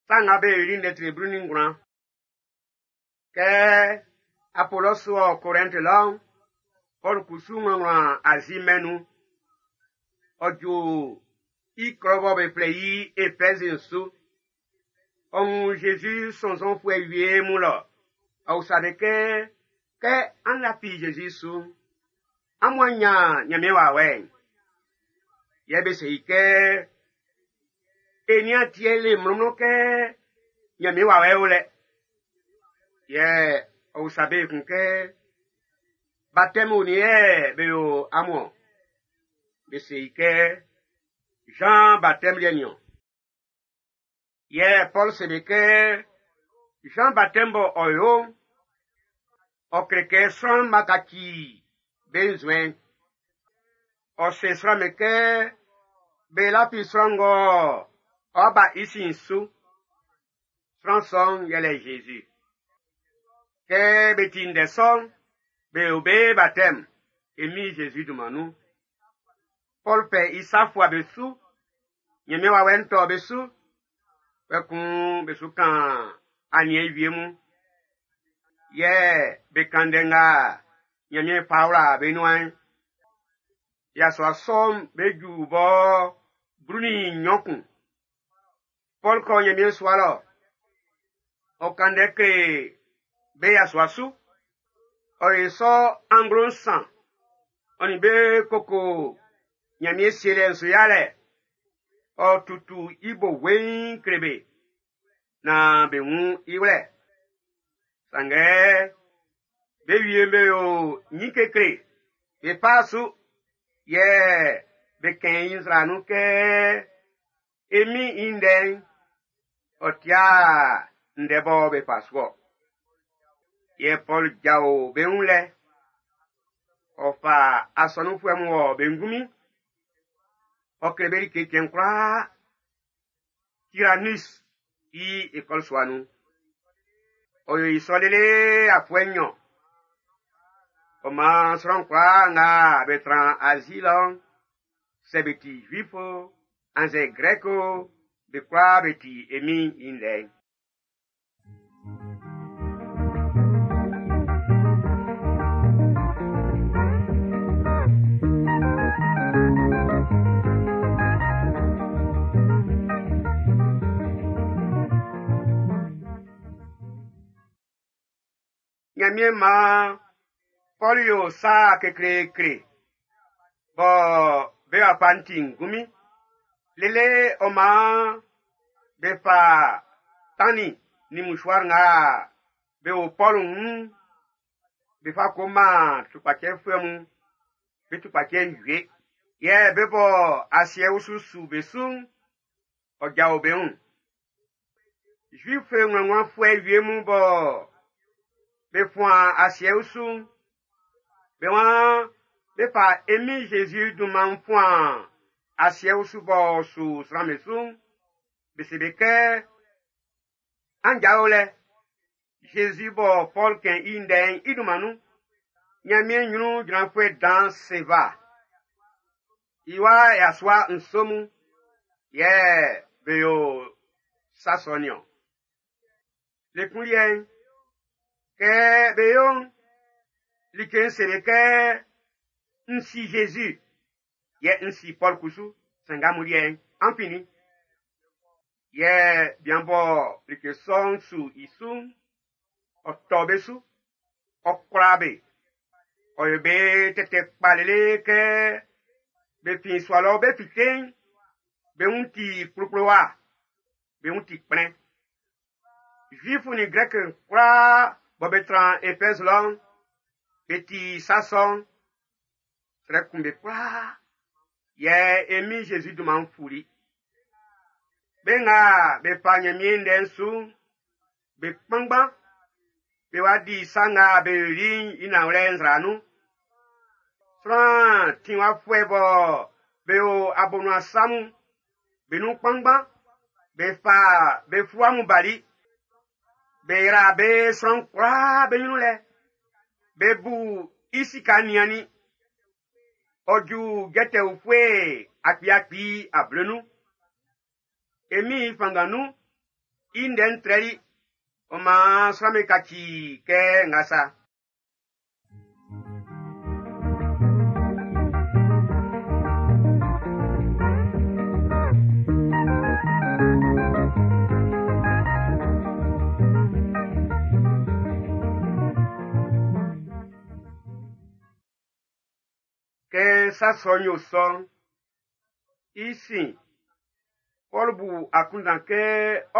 Sa nga be yoli ndɛ tre 19. Kɛ Apolɔsu wɔ Korɛnti lɔ'n, Pɔlu kusu nglɔnglɔn Azi mɛn'n nun. Ɔ ju i klɔ bɔ be flɛ i Efɛz'n su. Ɔ wun Zezi sɔnnzɔnfuɛ wie mun lɔ. Ɔ usa be kɛ, kɛ an lafi Zezi su'n, amun a nyan Nyanmiɛn wawɛ'n? Yɛ be se i kɛ, e nian tie le mlɔnmlɔn kɛ Nyanmiɛn wawɛ'n o lɛ. Yɛ ɔ usa be kun kɛ, baptême ni yɛ be yo amun-ɔn? Be se i kɛ, Jean baptême liɛ niɔn. Yɛ Paul se be kɛ, Jean baptême bɔ ɔ yo'n, ɔ kle kɛ sran'm b'a kaci be nzuɛn'n. Ɔ se sran'm be kɛ be lafi sran ng'ɔ ɔ ba i sin'n su. Sran sɔ'n yɛlɛ Jésus. Kɛ be ti ndɛ sɔ'n, be yo be baptême e Min Jésus dunman nun. Paul fɛ i sa fua be su, Nyanmiɛn wawɛ'n tɔ be su, kpɛkun be su kan aniɛn wie mun. Yɛ be kan ndɛ nga Nyanmiɛn fa wla be nuan'n. Yasua sɔ'n be ju bɔ 12 kun. Paul kɔ Nyanmiɛn sua lɔ. Ɔ kan ndɛ kle be yasua su. Ɔ ye sɔ anglo nsan. Ɔ nin be koko Nyanmiɛn sielɛ'n su yalɛ. Ɔ tutu i bo weiin kle be naan be wun i wlɛ. Sanngɛ be wie be yo nyin kekle, be fa su, yɛ be kɛn i nzra nun kɛ e Min i ndɛ'n, ɔ tia ndɛ bɔ be fa su-ɔ. Yɛ Pɔl jao be wun lɛ. Ɔ fa asɔnunfuɛ mun wɔ be ngunmin. Ɔ kle be like cɛn kwlaa. Tyrannus i école sua nun. Ɔ yo i sɔ lele afuɛ nnyɔn. Ɔ maan sran kwlaa nga be tran Azi lɔ'n, sɛ be ti Juif o, annzɛ Grɛk o, be kwlaa be ti e Min'n i ndɛ'n. Nyanmiɛn maan Pɔl yo sa kekleekle bɔ be wa fa ti ngunmin. Lele ɔ maan be fa tannin nin mouchoir nga be o Pɔl wun'n, be fa ko man tukpacɛfuɛ mun, be tukpacɛ'n wie. Yɛ be bɔ asiɛ usu su be su'n, ɔ jao be wun. Juif ngwlɛngwlɛfuɛ wie mun bɔ be fuan asiɛ usu'n, be waan be fa e Min Jésus dunman'n fuan asiɛ usu b'ɔ su sran'm be su'n, be se be kɛ, an jao lɛ, Jésus bɔ Pɔl kɛn i ndɛ'n i dunman nun. Nyanmiɛn nyrun jranfuɛ dan Seva. I wa yasua nso mun, yɛ be yo sa sɔ niɔn. Le kun liɛ'n, kɛ be yo'n, like'n se be kɛ, n si Jésus, yɛ n si Pɔl kusu, sanngɛ amun liɛ'n, an fin nin? Yɛ bian bɔ like sɔ'n su i su'n, ɔ tɔ be su, ɔ kwla be. Ɔ yo be tɛtɛ kpa lele kɛ be fin sua lɔ be fite'n, be wun ti kplukpluwa, be wun ti kplɛn. Juif nin Grɛk kwlaa bɔ be tran Efɛz lɔ'n, be ti sa sɔ'n, srɛ kun be kwlaa. Yɛ e Min Jésus dunman'n fuli. Be nga be fa Nyanmiɛn ndɛ'n su'n, be kpanngban, be wa di sa nga be yoli'n i nanwlɛ nzra nun. Sran tinwafuɛ bɔ be o abonuan sa mun, be nun kpanngban, be fa be fua mun bali. Be yra be sran kwlaa be nyrun lɛ. Be bu i sika niannin. Ɔ ju jɛtɛ ufue akpiakpi ablenun. E Min'n i fanngan nun, I ndɛ'n trɛli, ɔ maan sran'm be kaci kɛ nga sa. Kɛ sa sɔ'n yo sɔ'n, i sin, Pɔlu bu akunndan kɛ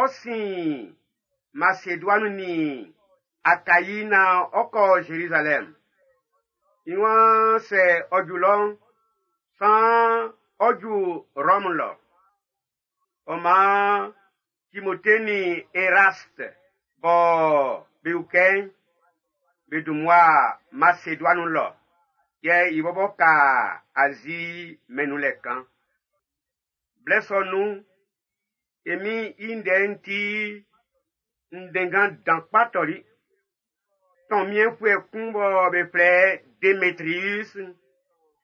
ɔ sin Maseduani nin Akayi naan ɔ kɔ Zerizalɛm. I waan sɛ ɔ ju lɔ'n, saan ɔ ju Rɔmu lɔ. Ɔ maan Timote nin Eraste bɔ be ukɛ i'n, be dun mmua Maseduani lɔ, yɛ i bɔbɔ ka Azi mɛn'n nun lɛ kan. Blɛ sɔ nun'n, e Min'n i ndɛ'n ti ndɛnngan dan kpa tɔli. Tɔnmiɛnfuɛ kun bɔ be flɛ Demetrius,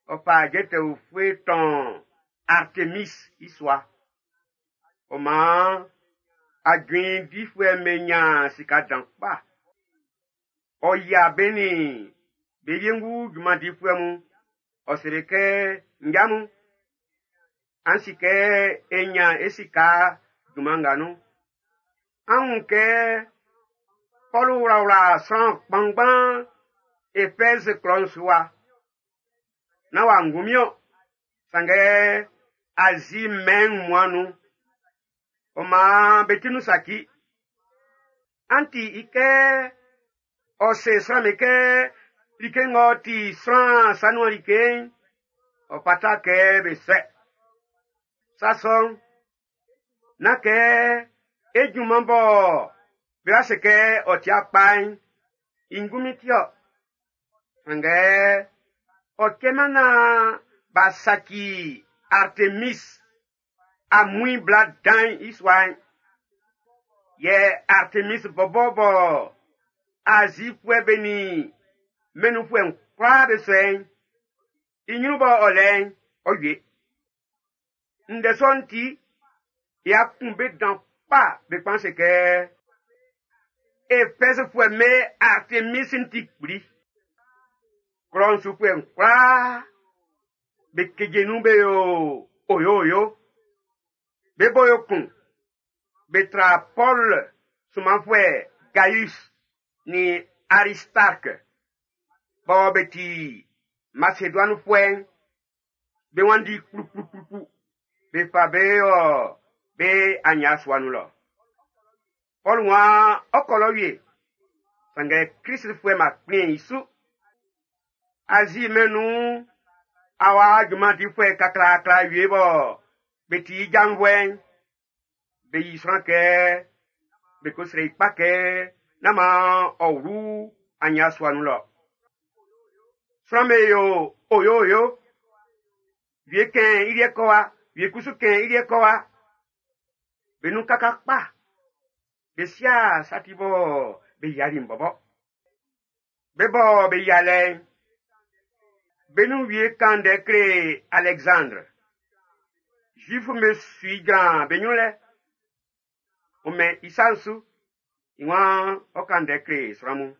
ɔ fa jɛtɛ ufue tɔn Artemis i sua. Ɔ maan ajuin difuɛ'm be ɲan sika dan kpa. Ɔ yia be nin be wiengu junman difuɛ mun. Ɔ se be kɛ, Nja mun, an si kɛ e ɲan e sika junman nga nun. An wun kɛ Pɔlu wlawla sran kpanngban Efɛzi klɔ'n su wa. Nán wa ngunmin-ɔn, sanngɛ Azi mɛn'n wunmuan'n nun. Ɔ maan be ti nun saci. An ti i kɛ ɔ se sran'm be kɛ like ng'ɔ ti sran sa nuan like'n, ɔ fata kɛ be sɔɛ. Sa sɔ'n, nán kɛ e junman bɔ be wa se kɛ ɔ ti kpa'n, i ngunmin ti-ɔ. Sanngɛ ɔ cɛman naan b'a saci Artemis amuin bla dan'n i sua'n. Yɛ Artemis bɔbɔ bɔ Azifuɛ be nin mɛn nunfuɛ'n kwlaa be sɔɛ'n, i ɲrun bɔ ɔ lɛ'n, ɔ wie. Ndɛ sɔ'n ti, ya kun be dan kpa be kpan se kɛ, Efɛzfuɛ'm be Artemis'n ti kpli. Klɔ'n sufuɛ'n kwlaa be keje nun be yo oyo-oyo. Be bo yo kun. Be tra Pɔl sunmanfuɛ Gaius nin Aristark bɔ be ti Maseduanifuɛ'n, be wanndi kplukplukplukplu. Be fa be ɔ be anya sua nun lɔ. Pɔl waan ɔ kɔ lɔ wie, sanngɛ Klistfuɛ ma kplin i su. Azi mɛn'n nun awa junman difuɛ kaklaakla wie bɔ be ti i janvuɛ'n, be yi sran kɛ be ko srɛ i kpa kɛ nán maan ɔ wlu anya sua nun lɔ. Sran'm be yo oyo-oyo. Wie kɛn i liɛ kɔ wa, wie kusu kɛn i liɛ kɔ wa. Be nun kaka kpa. Be sia sa ti bɔ be yiali'n bɔbɔ. Be bɔ be yialɛ'n, be nun wie kan ndɛ kle Alexandre. Zuif'm be su i jran be ɲrun lɛ. Ɔ mɛn i sa'n su. I waan ɔ kan ndɛ kle sran mun.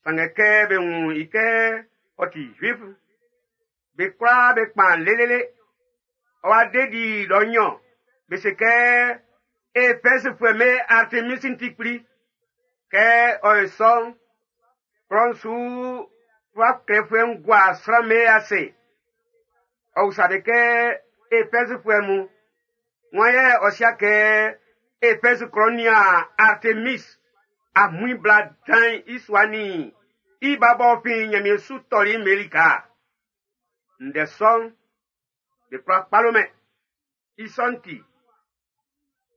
Sanngɛ kɛ be wun i kɛ ɔ ti Zuif, be kwlaa be kpan lelele. Ɔ wa de di lɔ nnyɔn. Be se kɛ Efɛzfuɛ'm be Artemis'n ti kpli. Kɛ ɔ yo sɔ'n, klɔ'n su fluwa klɛfuɛ'n gua sran'm be ase. Ɔ usa be kɛ Efɛzfuɛ mun, wan yɛ ɔ sia kɛ Efɛz klɔ'n nian Artemis amuin bla dan'n i sua nin i ba b'ɔ fin Nyanmiɛn su tɔli'n be lika. Ndɛ sɔ'n, be kwla kpalo-mɛn. I sɔ'n ti,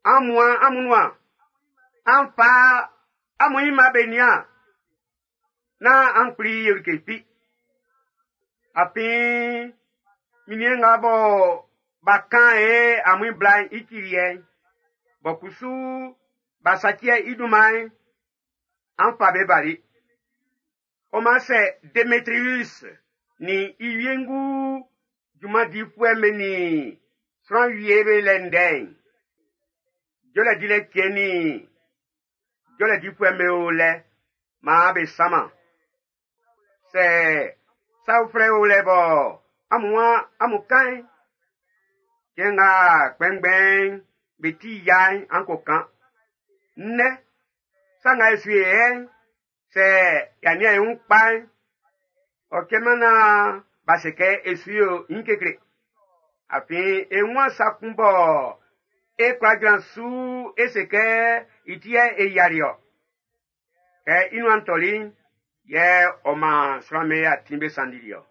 an muan amun nuan, an fa amun ɲinma be nian, nán an kpli yo like fi. Afin, minniɛn nga bɔ b'a kan e amuin bla'n i ti liɛ'n, bɔ kusu b'a saci i dunman'n, an fa be bali. Ɔ maan sɛ Demetrius nin i wiengu junman difuɛ'm be nin sran wie be lɛ ndɛ'n, Jɔlɛ dilɛ cɛn'n nin jɔlɛ difuɛ'm be o lɛ maan be sanman. Sɛ sa uflɛ o lɛ bɔ amun waan amun kan'n, cɛn nga kpɛnngbɛn'n be ti yia'n an ko kan. Nnɛ, sa nga e su i yɛ'n, sɛ y'a nian e wun kpa'n, ɔ cɛman naan b'a se kɛ e su yo ɲin kekle. Afin e wun sa kun bɔ e kwla jran su e se kɛ i ti yɛ e yiali ɔ. Kɛ i nuan tɔli'n, yɛ ɔ maan sran'm be atin be sanndili ɔ.